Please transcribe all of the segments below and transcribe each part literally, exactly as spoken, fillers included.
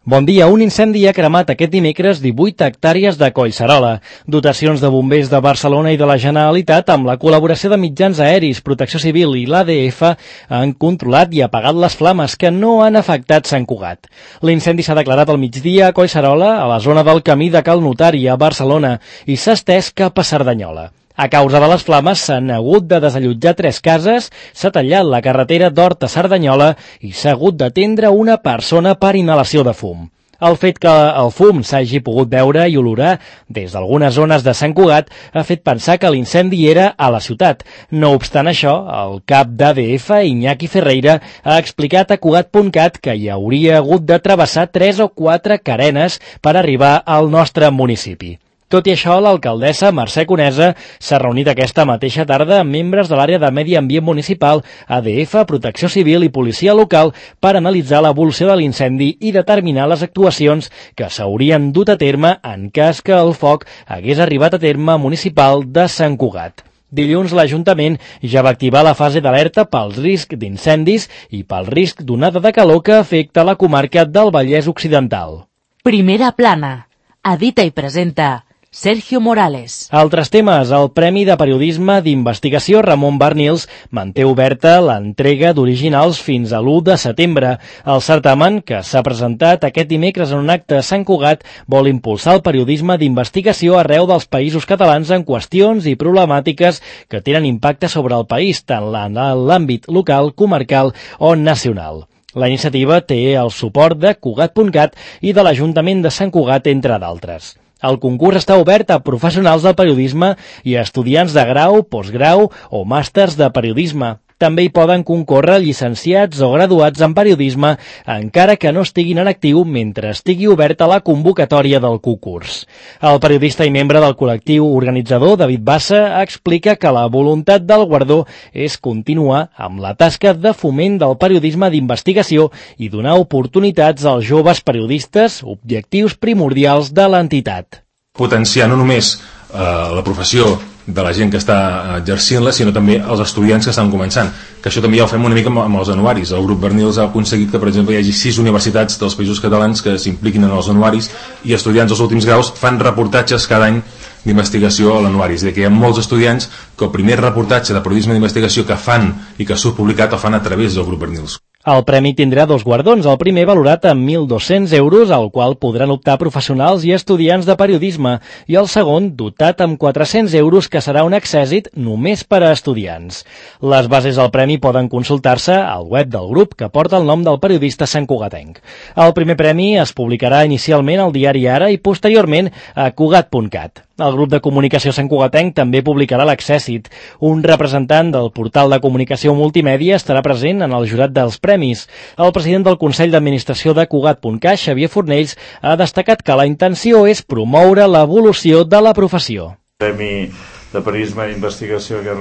Bon dia. Un incendi ha cremat aquest dimecres divuit hectàrees de Collserola. Dotacions de bombers de Barcelona i de la Generalitat, amb la col·laboració de mitjans aeris, Protecció Civil i l'A D F, han controlat i apagat les flames que no han afectat Sant Cugat. L'incendi s'ha declarat al migdia a Collserola, a la zona del camí de Cal Notari, a Barcelona, i s'ha estès cap a Cerdanyola. A causa de les flames s'han hagut de desallotjar tres cases, s'ha tallat la carretera d'Hort a Cerdanyola i s'ha hagut d'atendre una persona per inhalació de fum. El fet que el fum s'hagi pogut veure i olorar des d'algunes zones de Sant Cugat ha fet pensar que l'incendi era a la ciutat. No obstant això, el cap d'A D F, Iñaki Ferreira, ha explicat a Cugat punt cat que hi hauria hagut de travessar tres o quatre carenes per arribar al nostre municipi. Tot i això, l'alcaldessa Mercè Conesa s'ha reunit aquesta mateixa tarda amb membres de l'àrea de Medi Ambient Municipal, A D F, Protecció Civil i Policia Local per analitzar l'evolució de l'incendi i determinar les actuacions que s'haurien dut a terme en cas que el foc hagués arribat a terme municipal de Sant Cugat. Dilluns l'Ajuntament ja va activar la fase d'alerta pels riscs d'incendis i pel risc d'onada de calor que afecta la comarca del Vallès Occidental. Primera plana. Edita i presenta Sergio Morales. Altres temes. El Premi de Periodisme d'Investigació Ramon Barnils manté oberta l'entrega d'originals fins a l'u de setembre. El certamen, que s'ha presentat aquest dimecres en un acte a Sant Cugat, vol impulsar el periodisme d'investigació arreu dels països catalans en qüestions i problemàtiques que tenen impacte sobre el país, tant en l'àmbit local, comarcal o nacional. La iniciativa té el suport de Cugat punt cat i de l'Ajuntament de Sant Cugat, entre d'altres. El concurs està obert a professionals del periodisme i a estudiants de grau, postgrau o màsters de periodisme. També hi poden concórrer llicenciats o graduats en periodisme, encara que no estiguin en actiu mentre estigui oberta la convocatòria del concurs. El periodista i membre del col·lectiu organitzador, David Bassa, explica que la voluntat del guardó és continuar amb la tasca de foment del periodisme d'investigació i donar oportunitats als joves periodistes, objectius primordials de l'entitat. Potenciar no només eh, la professió de la gent que està exercint-la, sinó també els estudiants que estan començant, que això també ja ho fem una mica amb els anuaris. El grup Barnils ha aconseguit que, per exemple, hi hagi sis universitats dels països catalans que s'impliquin en els anuaris i estudiants dels últims graus fan reportatges cada any d'investigació a l'anuari. És a dir, que hi ha molts estudiants que el primer reportatge de periodisme d'investigació que fan i que surt publicat el fan a través del grup Barnils. El premi tindrà dos guardons, el primer valorat amb mil dos-cents euros, al qual podran optar professionals i estudiants de periodisme, i el segon dotat amb quatre-cents euros, que serà un accèssit només per a estudiants. Les bases del premi poden consultar-se al web del grup, que porta el nom del periodista santcugatenc. El primer premi es publicarà inicialment al diari Ara i posteriorment a Cugat punt cat. El grup de comunicació santcugatenc també publicarà l'accèssit. Un representant del portal de comunicació multimèdia estarà present en el jurat dels premis. El president del Consell d'Administració de Cugat punt cat, Xavier Fornells, ha destacat que la intenció és promoure l'evolució de la professió. Premi de periodisme d'investigació que,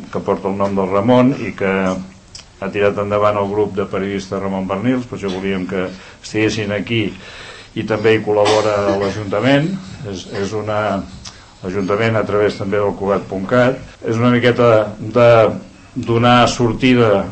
que porta el nom del Ramon i que ha tirat endavant el grup de periodistes Ramon Barnils, per això volíem que estiguessin aquí, i també hi col·labora l'Ajuntament. És, és una l'Ajuntament a través també del Cugat punt cat. És una miqueta de donar sortida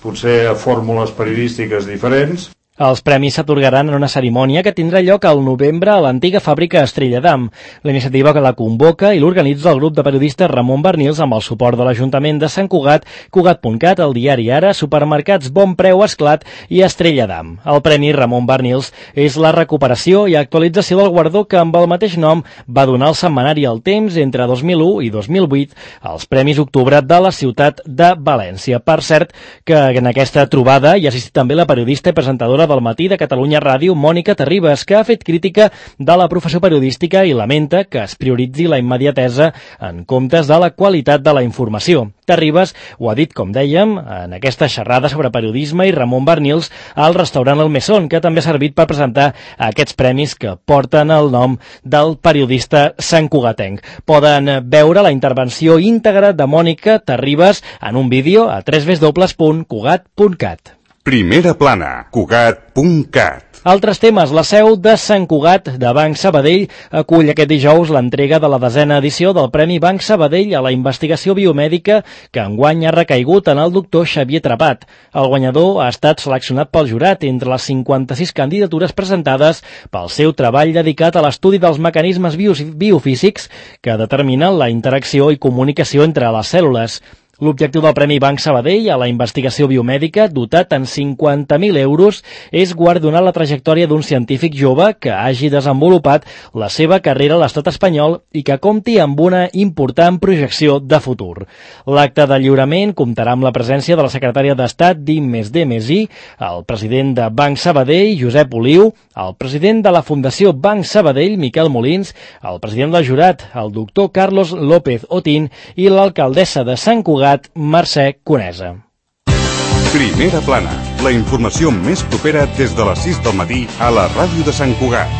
potser a fórmules periodístiques diferents. Els premis s'atorgaran en una cerimònia que tindrà lloc al novembre a l'antiga fàbrica Estrella d'Am. La iniciativa que la convoca i l'organitza el grup de periodistes Ramon Barnils amb el suport de l'Ajuntament de Sant Cugat, Cugat punt cat, el diari Ara, supermercats Bon Preu, Esclat i Estrella d'Am. El premi Ramon Barnils és la recuperació i actualització del guardó que amb el mateix nom va donar el setmanari El Temps entre dos mil u i dos mil vuit als Premis Octubre de la ciutat de València. Per cert, que en aquesta trobada hi ha assistit també la periodista i presentadora del Matí de Catalunya Ràdio, Mònica Terribas, que ha fet crítica de la professió periodística i lamenta que es prioritzi la immediatesa en comptes de la qualitat de la informació. Terribas ho ha dit, com dèiem, en aquesta xerrada sobre periodisme i Ramon Barnils al restaurant El Mesón, que també ha servit per presentar aquests premis que porten el nom del periodista santcugatenc. Poden veure la intervenció íntegra de Mònica Terribas en un vídeo a w w w punt cugat punt cat. Primera plana, Cugat punt cat. Altres temes. La seu de Sant Cugat de Banc Sabadell acull aquest dijous l'entrega de la desena edició del Premi Banc Sabadell a la investigació biomèdica que enguany ha recaigut en el doctor Xavier Trepat. El guanyador ha estat seleccionat pel jurat entre les cinquanta-sis candidatures presentades pel seu treball dedicat a l'estudi dels mecanismes biofísics que determinen la interacció i comunicació entre les cèl·lules. L'objectiu del Premi Banc Sabadell a la investigació biomèdica, dotat en cinquanta mil euros, és guardonar la trajectòria d'un científic jove que hagi desenvolupat la seva carrera a l'estat espanyol i que compti amb una important projecció de futur. L'acte de lliurament comptarà amb la presència de la secretària d'Estat d'I més D més I, el president de Banc Sabadell, Josep Oliu, el president de la Fundació Banc Sabadell, Miquel Molins, el president del jurat, el doctor Carlos López Otín, i l'alcaldessa de Sant Cugat, Mercè Conesa. Primera Plana, la informació més propera des de les sis del matí a la ràdio de Sant Cugat.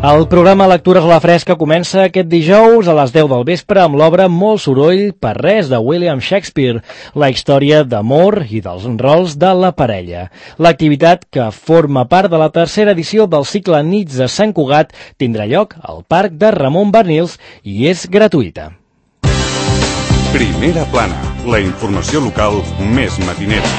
El programa Lectures a la Fresca comença aquest dijous a les deu del vespre amb l'obra Molt soroll per res de William Shakespeare, la història d'amor i dels rols de la parella. L'activitat, que forma part de la tercera edició del cicle Nits de Sant Cugat, tindrà lloc al Parc de Ramon Barnils i és gratuïta. Primera Plana, la informació local més matinera.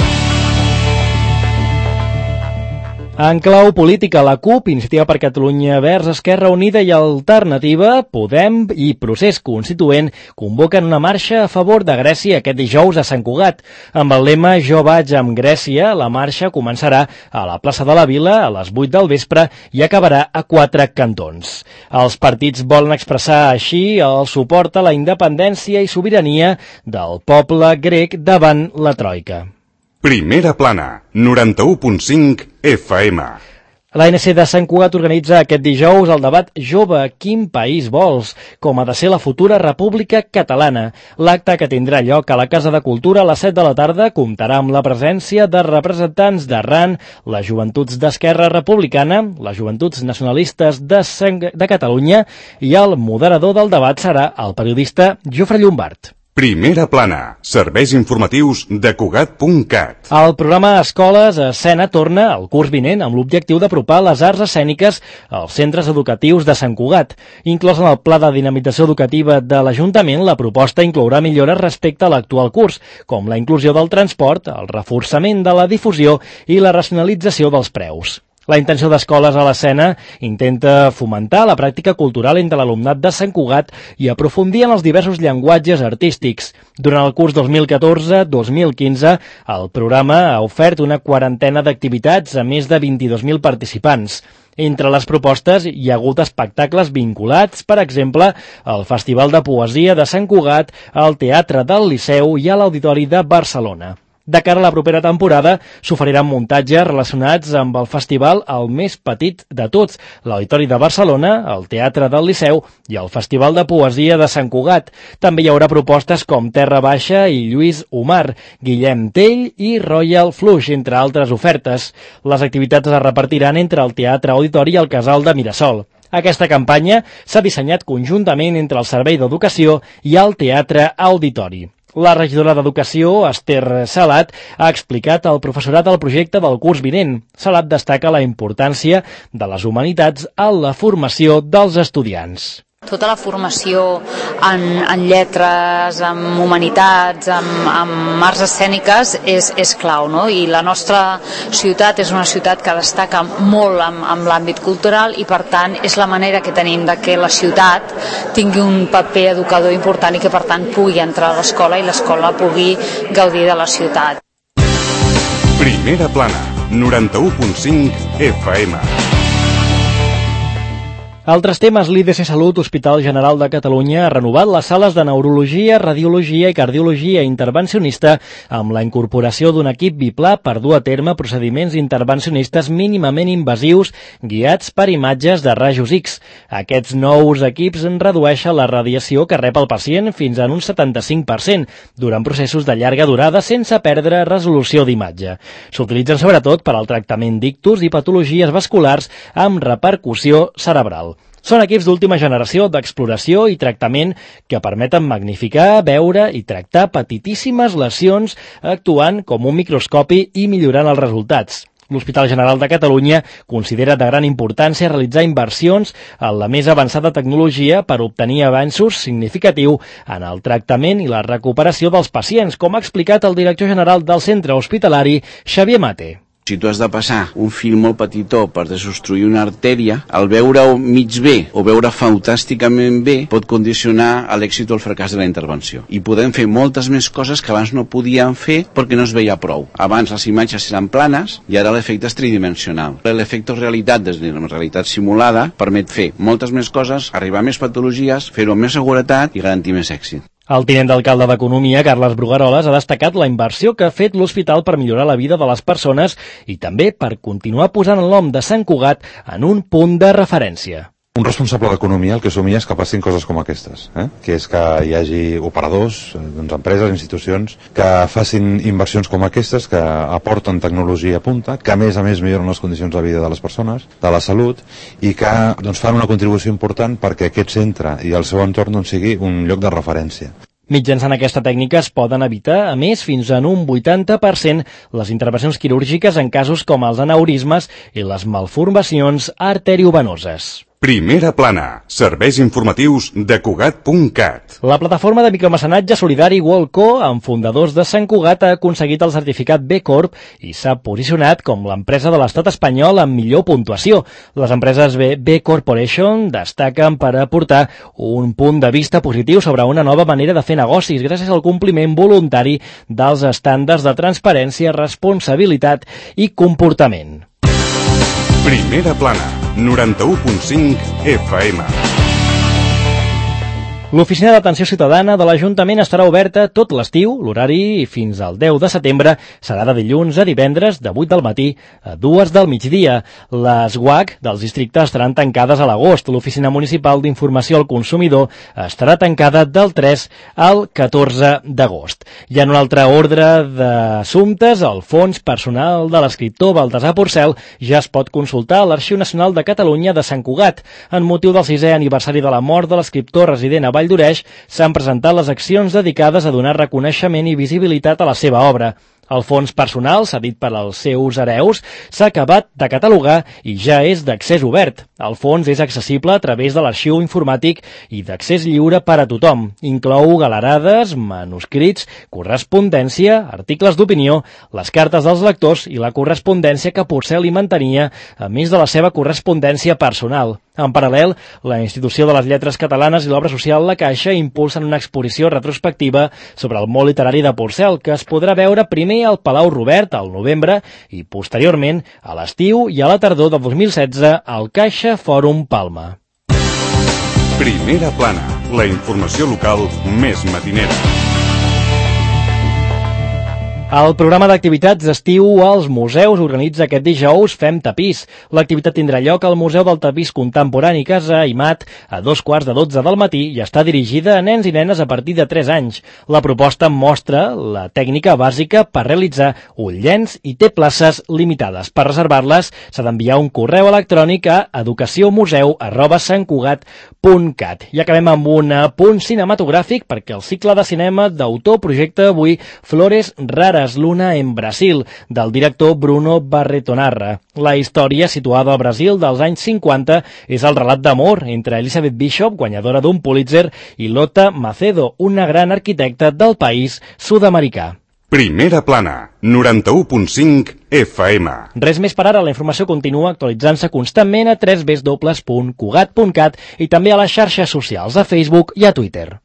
En clau política, la CUP, Iniciativa per Catalunya Verds, Esquerra Unida i Alternativa, Podem i Procés Constituent convoquen una marxa a favor de Grècia aquest dijous a Sant Cugat. Amb el lema Jo vaig amb Grècia, la marxa començarà a la plaça de la Vila a les vuit del vespre i acabarà a quatre cantons. Els partits volen expressar així el suport a la independència i sobirania del poble grec davant la Troika. Primera Plana, noranta-u punt cinc F M. L'A N C de Sant Cugat organitza aquest dijous el debat Jove, quin país vols?, com ha de ser la futura República Catalana. L'acte, que tindrà lloc a la Casa de Cultura a les set de la tarda, comptarà amb la presència de representants d'Arran, les Joventuts d'Esquerra Republicana, les Joventuts Nacionalistes de, de Catalunya, i el moderador del debat serà el periodista Jofre Llombard. Primera Plana, serveis informatius de Cugat punt cat. El programa Escoles a Escena torna al curs vinent amb l'objectiu d'apropar les arts escèniques als centres educatius de Sant Cugat. Inclòs en el pla de dinamització educativa de l'Ajuntament, la proposta inclourà millores respecte a l'actual curs, com la inclusió del transport, el reforçament de la difusió i la racionalització dels preus. La intenció d'Escoles a l'Escena intenta fomentar la pràctica cultural entre l'alumnat de Sant Cugat i aprofundir en els diversos llenguatges artístics. Durant el curs dos mil catorze dos mil quinze, el programa ha ofert una quarantena d'activitats a més de vint-i-dos mil participants. Entre les propostes hi ha hagut espectacles vinculats, per exemple, al Festival de Poesia de Sant Cugat, al Teatre del Liceu i a l'Auditori de Barcelona. De cara a la propera temporada, s'oferiran muntatges relacionats amb el festival el més petit de tots, l'Auditori de Barcelona, el Teatre del Liceu i el Festival de Poesia de Sant Cugat. També hi haurà propostes com Terra Baixa i Lluís Omar, Guillem Tell i Royal Flush, entre altres ofertes. Les activitats es repartiran entre el Teatre Auditori i el Casal de Mirasol. Aquesta campanya s'ha dissenyat conjuntament entre el Servei d'Educació i el Teatre Auditori. La regidora d'Educació, Esther Salat, ha explicat al professorat el projecte del curs vinent. Salat destaca la importància de les humanitats en la formació dels estudiants. Tota la formació en, en lletres, en humanitats, en, en arts escèniques és, és clau, no? I la nostra ciutat és una ciutat que destaca molt en, en l'àmbit cultural i, per tant, és la manera que tenim de que la ciutat tingui un paper educador important i que, per tant, pugui entrar a l'escola i l'escola pugui gaudir de la ciutat. Primera Plana, noranta-u punt cinc F M. Altres temes. L'I D C Salut, Hospital General de Catalunya, ha renovat les sales de neurologia, radiologia i cardiologia intervencionista amb la incorporació d'un equip biplà per dur a terme procediments intervencionistes mínimament invasius guiats per imatges de rajos X. Aquests nous equips redueixen la radiació que rep el pacient fins en un setanta-cinc per cent durant processos de llarga durada sense perdre resolució d'imatge. S'utilitzen sobretot per al tractament d'ictus i patologies vasculars amb repercussió cerebral. Són equips d'última generació d'exploració i tractament que permeten magnificar, veure i tractar petitíssimes lesions actuant com un microscopi i millorant els resultats. L'Hospital General de Catalunya considera de gran importància realitzar inversions en la més avançada tecnologia per obtenir avanços significatius en el tractament i la recuperació dels pacients, com ha explicat el director general del centre hospitalari, Xavier Mate. Si tu has de passar un fil molt petitó per desobstruir una artèria, el veure-ho mig bé o veure fantàsticament bé pot condicionar l'èxit o el fracàs de la intervenció. I podem fer moltes més coses que abans no podíem fer perquè no es veia prou. Abans les imatges eren planes i ara l'efecte és tridimensional. L'efecte realitat des de la realitat simulada permet fer moltes més coses, arribar a més patologies, fer-ho amb més seguretat i garantir més èxit. El tinent d'alcalde d'Economia, Carles Brugueroles, ha destacat la inversió que ha fet l'hospital per millorar la vida de les persones i també per continuar posant el nom de Sant Cugat en un punt de referència. Un responsable d'economia el que somia és que passin coses com aquestes, eh? que és que hi hagi operadors, doncs empreses, institucions, que facin inversions com aquestes, que aporten tecnologia a punta, que a més a més milloren les condicions de vida de les persones, de la salut, i que doncs, fan una contribució important perquè aquest centre i el seu entorn doncs, sigui un lloc de referència. Mitjançant aquesta tècnica es poden evitar, a més, fins en un vuitanta per cent les intervencions quirúrgiques en casos com els aneurismes i les malformacions arteriovenoses. Primera plana, serveis informatius de Cugat punt cat. La plataforma de micromecenatge solidari Worldco, amb fundadors de Sant Cugat, ha aconseguit el certificat B Corp i s'ha posicionat com l'empresa de l'estat espanyol amb millor puntuació. Les empreses B, B Corporation destaquen per aportar un punt de vista positiu sobre una nova manera de fer negocis gràcies al compliment voluntari dels estàndards de transparència, responsabilitat i comportament. Primera plana, noranta-u punt cinc F M. L'Oficina d'Atenció Ciutadana de l'Ajuntament estarà oberta tot l'estiu. L'horari fins al deu de setembre serà de dilluns a divendres de vuit del matí a dues del migdia. Les U A C dels districtes estaran tancades a l'agost. L'Oficina Municipal d'Informació al Consumidor estarà tancada del tres al catorze d'agost. I en un altre ordre d'assumptes, el fons personal de l'escriptor Baltasar Porcel ja es pot consultar a l'Arxiu Nacional de Catalunya de Sant Cugat. En motiu del sisè aniversari de la mort de l'escriptor resident a Vall d'Oreix, s'han presentat les accions dedicades a donar reconeixement i visibilitat a la seva obra. El fons personal, cedit per als seus hereus, s'ha acabat de catalogar i ja és d'accés obert. El fons és accessible a través de l'arxiu informàtic i d'accés lliure per a tothom. Inclou galerades, manuscrits, correspondència, articles d'opinió, les cartes dels lectors i la correspondència que Porcel hi mantenia, a més de la seva correspondència personal. En paral·lel, la Institució de les Lletres Catalanes i l'Obra Social La Caixa impulsen una exposició retrospectiva sobre el món literari de Porcel, que es podrà veure primer al Palau Robert al novembre i posteriorment a l'estiu i a la tardor de dos mil setze al Caixa Fòrum Palma. Primera plana, la informació local més matinera. El programa d'activitats d'estiu als museus organitza aquest dijous Fem Tapís. L'activitat tindrà lloc al Museu del Tapís Contemporani Casa Aimat a dos quarts de dotze del matí i està dirigida a nens i nenes a partir de tres anys. La proposta mostra la tècnica bàsica per realitzar un llenç i té places limitades. Per reservar-les s'ha d'enviar un correu electrònic a educaciomuseu arroba santcugat punt cat. I acabem amb un punt cinematogràfic perquè el cicle de cinema d'autor projecta avui Flores Raras, Luna en Brasil, del director Bruno Barretonarra. La història, situada al Brasil dels anys cinquanta, és el relat d'amor entre Elizabeth Bishop, guanyadora d'un Pulitzer, i Lota Macedo, una gran arquitecta del país sud-americà. Primera plana, noranta-u punt cinc F M. Res més per ara, la informació continua actualitzant-se constantment a w w w punt cugat punt cat i també a les xarxes socials, a Facebook i a Twitter.